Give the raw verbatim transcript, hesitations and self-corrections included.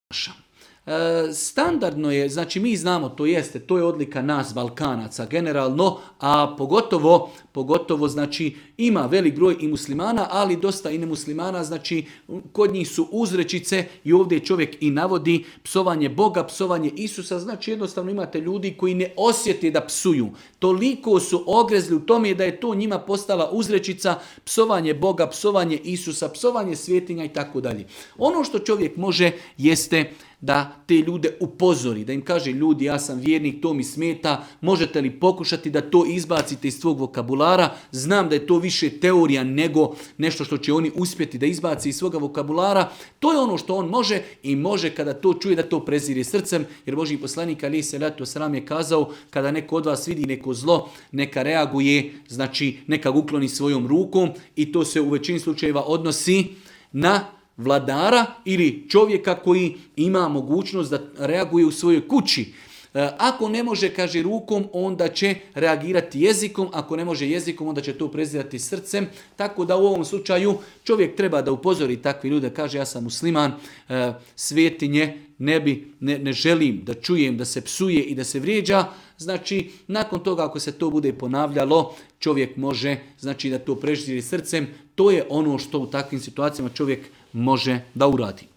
naša. E, standardno je, znači mi znamo, to jeste, to je odlika nas Balkanaca generalno, a pogotovo, pogotovo znači ima velik broj i muslimana, ali dosta i nemuslimana, znači kod njih su uzrečice i ovdje čovjek i navodi psovanje Boga, psovanje Isusa, znači jednostavno imate ljudi koji ne osjete da psuju. Toliko su ogrezli u tome da je to njima postala uzrečica psovanje Boga, psovanje Isusa, psovanje svjetinja i tako dalje. Ono što čovjek može jeste da te ljude upozori, da im kaže ljudi ja sam vjernik, to mi smeta, možete li pokušati da to izbacite iz svog vokabulara, znam da je to više teorija nego nešto što će oni uspjeti da izbaci iz svoga vokabulara, to je ono što on može i može kada to čuje da to prezire srcem, jer Božji poslanik alejhi selatu vesselam je kazao kada neko od vas vidi neko zlo, neka reaguje, znači neka ga ukloni svojom rukom i to se u većini slučajeva odnosi na vladara ili čovjeka koji ima mogućnost da reaguje u svojoj kući. Ako ne može, kaže, rukom, onda će reagirati jezikom, ako ne može jezikom, onda će to prezirati srcem, tako da u ovom slučaju čovjek treba da upozori takvi ljude, kaže ja sam musliman, svetinje ne, bi, ne, ne želim da čujem da se psuje i da se vrijeđa, znači nakon toga ako se to bude ponavljalo, čovjek može, znači da to preziri srcem, to je ono što u takvim situacijama čovjek može da uradi.